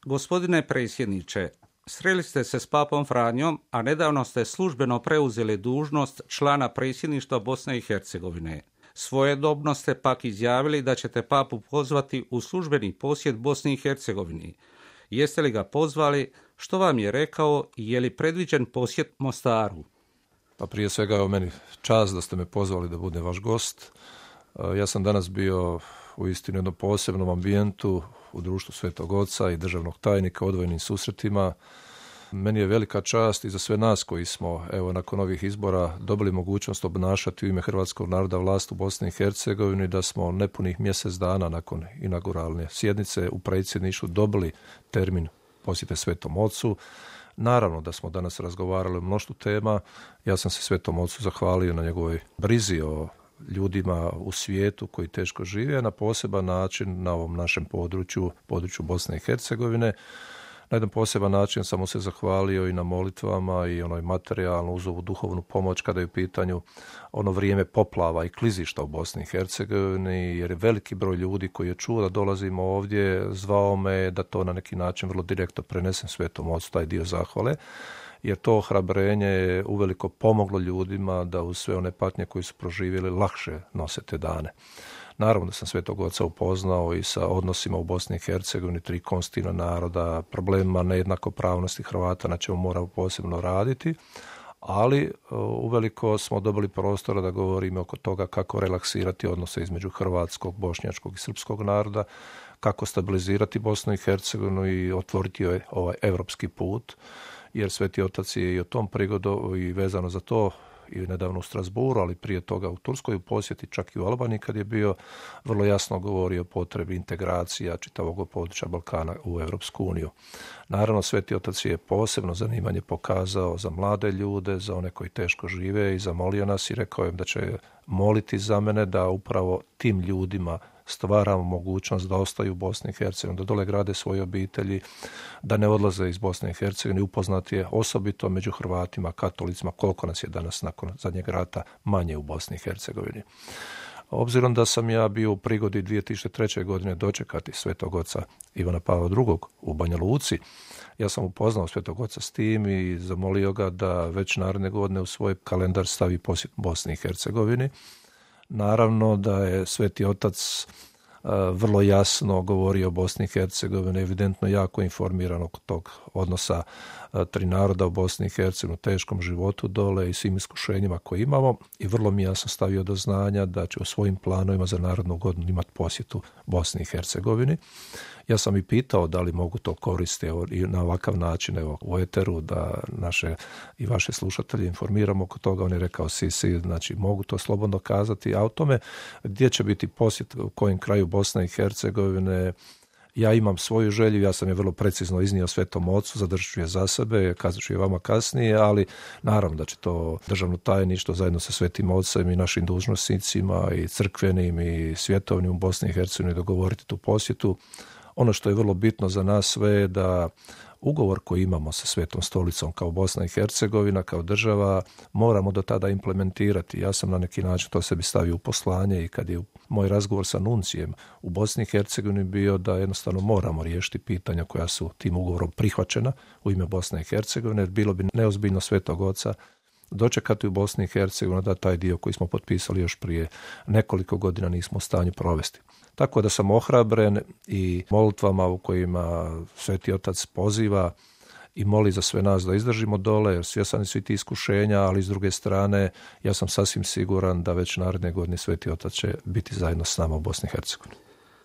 Gospodine predsjedniče, sreli ste se s papom Franjom, a nedavno ste službeno preuzeli dužnost člana predsjedništva Bosne i Hercegovine. Svojedobno ste pak izjavili da ćete papu pozvati u službeni posjet Bosni i Hercegovini. Jeste li ga pozvali? Što vam je rekao i je li predviđen posjet Mostaru? Pa prije svega je meni čast da ste me pozvali da budem vaš gost. Ja sam danas bio u istinu jednom posebnom ambijentu u društvu Svetog Oca i državnog tajnika, odvojenim susretima. Meni je velika čast i za sve nas koji smo, nakon ovih izbora dobili mogućnost obnašati u ime hrvatskog naroda vlast u Bosni i Hercegovini, da smo nepunih mjesec dana nakon inauguralne sjednice u predsjedništvu dobili termin posjete Svetom Ocu. Naravno da smo danas razgovarali o mnoštvu tema. Ja sam se Svetom Ocu zahvalio na njegovoj brizi o ljudima u svijetu koji teško žive, na poseban način na ovom našem području Bosne i Hercegovine. Na jedan poseban način sam mu se zahvalio i na molitvama i onoj materijalno uz ovu duhovnu pomoć kada je u pitanju ono vrijeme poplava i klizišta u Bosni i Hercegovini, jer je veliki broj ljudi koji je čuo da dolazimo ovdje zvao me da to na neki način vrlo direktno prenesem Svetom Ocu, taj dio zahvale, jer to ohrabrenje je uveliko pomoglo ljudima da uz sve one patnje koje su proživjeli lakše nose te dane. Naravno da sam Svetog Oca upoznao i sa odnosima u Bosni i Hercegovini, 3 konstitutivna naroda, problemima nejednakopravnosti Hrvata na čemu moramo posebno raditi, ali uveliko smo dobili prostora da govorimo oko toga kako relaksirati odnose između hrvatskog, bošnjačkog i srpskog naroda, kako stabilizirati Bosnu i Hercegovinu i otvoriti ovaj evropski put, jer Sveti Otac je i o tom prigodu i vezano za to i nedavno u Strasburu, ali prije toga u Turskoj u posjeti, čak i u Albaniji kad je bio, vrlo jasno govorio o potrebi integracija čitavog područja Balkana u Europsku uniju. Naravno, Sveti Otac je posebno zanimanje pokazao za mlade ljude, za one koji teško žive i zamolio nas i rekao im da će moliti za mene da upravo tim ljudima stvaramo mogućnost da ostaju u Bosni i Hercegovini, da dole grade svoje obitelji, da ne odlaze iz Bosne i Hercegovine. Upoznat je osobito među Hrvatima, katolicima, koliko nas je danas nakon zadnjeg rata manje u Bosni i Hercegovini. Obzirom da sam ja bio u prigodi 2003. godine dočekati Svetog Oca Ivana Pavla II. U Banja Luci, ja sam upoznao Svetog Oca s tim i zamolio ga da već naredne godine u svoj kalendar stavi posjet Bosni i Hercegovini. Naravno da je Sveti Otac vrlo jasno govorio o Bosni i Hercegovini, evidentno jako informiran oko tog odnosa 3 naroda u Bosni i Hercegovini, teškom životu dole i svim iskušenjima koje imamo, i vrlo mi jasno stavio do znanja da će u svojim planovima za narednu godinu imati posjetu Bosni i Hercegovini. Ja sam i pitao da li mogu to koristiti i na ovakav način u eteru da naše i vaše slušatelje informiramo oko toga. On je rekao znači mogu to slobodno kazati, a o tome gdje će biti posjet, u kojem kraju Bosne i Hercegovine, ja imam svoju želju, ja sam je vrlo precizno iznio Svetom Ocu, zadržat ću je za sebe, kazat ću je vama kasnije, ali naravno da će to državno tajništvo zajedno sa Svetim Ocem i našim dužnosnicima i crkvenim i svjetovnim u Bosni i Hercegovini dogovoriti tu posjetu. Ono što je vrlo bitno za nas sve je da ugovor koji imamo sa Svetom Stolicom kao Bosna i Hercegovina, kao država, moramo do tada implementirati. Ja sam na neki način to sebi stavio u poslanje i kad je moj razgovor sa nuncijem u Bosni i Hercegovini bio da jednostavno moramo riješiti pitanja koja su tim ugovorom prihvaćena u ime Bosne i Hercegovine, jer bilo bi neozbiljno Svetog Oca dočekati u Bosni i Hercegovini da taj dio koji smo potpisali još prije nekoliko godina nismo u stanju provesti. Tako da sam ohrabren i molitvama u kojima Sveti Otac poziva i moli za sve nas da izdržimo dole, jer svjesni svi ti iskušenja, ali s druge strane ja sam sasvim siguran da već naredne godine Sveti Otac će biti zajedno s nama u Bosni i Hercegovini.